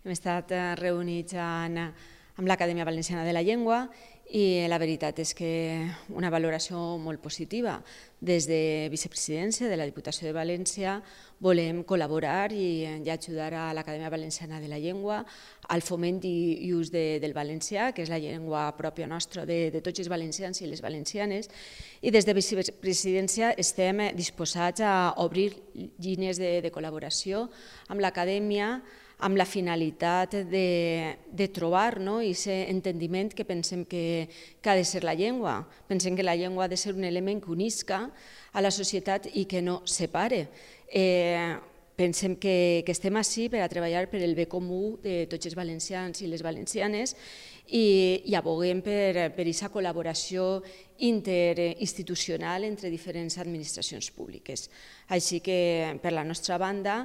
Hem estat reunits amb l'Acadèmia Valenciana de la Llengua i la veritat és que una valoració molt positiva. Des de Vicepresidència de la Diputació de València volem col·laborar i ajudar a l'Acadèmia Valenciana de la Llengua al foment i ús del valencià, que és la llengua pròpia nostra de tots els valencians i les valencianes, i des de Vicepresidència estem disposats a obrir línies de col·laboració amb l'Acadèmia amb la finalitat de trobar aquest entendiment que pensem que ha de ser la llengua. Pensem que la llengua ha de ser un element que unisca a la societat i que no separe. Pensem que estem ací per a treballar per el bé comú de tots els valencians i les valencianes i aboguem per aquesta col·laboració interinstitucional entre diferents administracions públiques. Així que, per la nostra banda,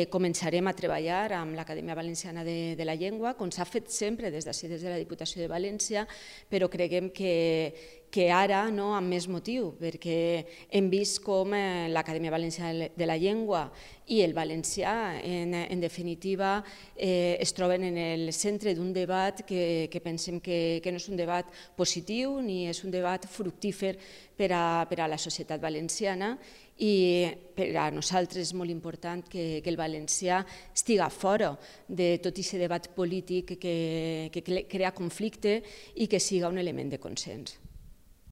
començarem a treballar amb l'Acadèmia Valenciana de la Llengua, com s'ha fet sempre des de la Diputació de València, però creiem que ara amb més motiu, perquè hem vist com l'Acadèmia Valenciana de la Llengua i el valencià, en definitiva, es troben en el centre d'un debat que pensem que no és un debat positiu ni és un debat fructífer per a la societat valenciana, i per a nosaltres és molt important que el valencià estiga fora de tot aquest debat polític que crea conflicte i que siga un element de consens.